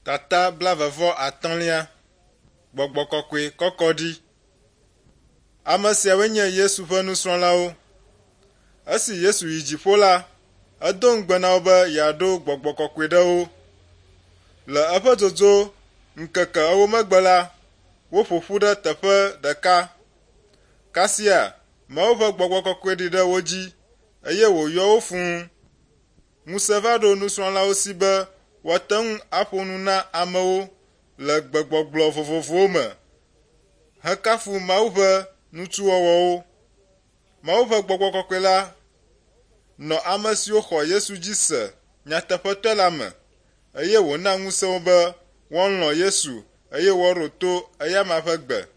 Tata blaeve-vɔ-atɔ̃lia. Gbɔgbɔ kɔkɔe kɔkɔ ɖi. Ame siawoe nye Yesu ƒe nusrɔ̃lawo. Esi Yesu yi dziƒo la, edo ŋugbe na wo be yeaɖo gbɔgbɔ kɔkɔe ɖe wo. Le eƒe dzodzo ŋkeke ewo megbe la, woƒo ƒu ɖe teƒe ɖeka. Kasia Mawu ƒe gbɔgbɔ kɔkɔe ɖi ɖe wo dzi eye wòyɔ wo fũu. Ŋusẽ va ɖo nusrɔ̃lawo si be woate ŋu aƒo nu na amewo le gbegbɔgblɔ vovovowo me hekafu Mawu ƒe nutsuwɔwɔwo. Mawu ƒe gbɔgbɔ kɔkɔe la nɔ ame siwo xɔ Yesu dzi se nyateƒetɔe la me eye wòna ŋusẽ wo be woalɔ̃ Yesu eye woaɖo to eyama ƒe gbe.